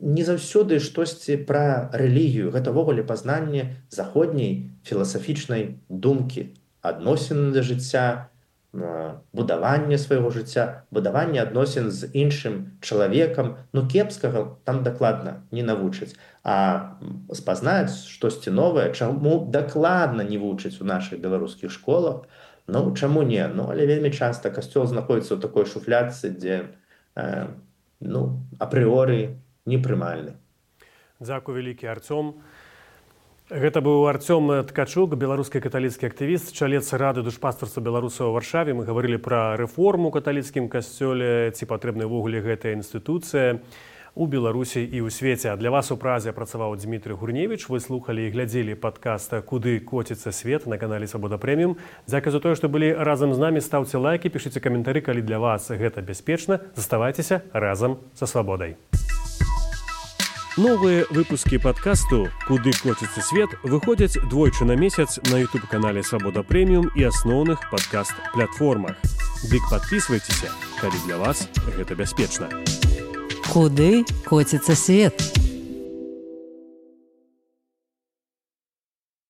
не заўсёды штосьці пра рэлігію, гэта ўвогуле пазнанне заходняй філасафічнай думкі, адносіны да жыцця, будаванне свайго жыцця, будаванне адносін з іншым чалавекам. Ну, кепскага там дакладна не навучаць. А спазнаць штосьці новае, чаму дакладна не вучаць у нашых беларускіх школах, ну, чаму не? Ну, але вельмі часта касцёл знаходзіцца ў такой шуфляцы, дзе, э, ну, апрыоры непрымальны.
Дзякуй вялікі, Арцём. Гэта быў Арцём Ткачук, беларускі каталіцкі актывіст, чалец рады душпастарства беларусаў у Варшаве. Мы гаварылі пра рэформу ў каталіцкім касцёле, ці патрэбна ўвогуле гэтая інстытуцыя у Беларусі і ў свеце. А для вас у Празе працаваў Дзмітрый Гурневіч. Вы слухалі і глядзелі падкаст «Куды коціцца свет» на канале Свабода Прэміум. Дзякуй за тое, што былі разам з намі. Стаўце лайкі, пішыце каментары, калі для вас гэта бяспечна. Заставайцеся разам са Свабодай. Новыя выпускі падкасту «Куды коціцца свет» выходзяць двойчы на месяц на ютуб-канале Свабода Прэміум і асноўных падкаст-платформах. Дык падпісвайцеся, калі для вас гэта бяспечна.
Куды коціцца свет?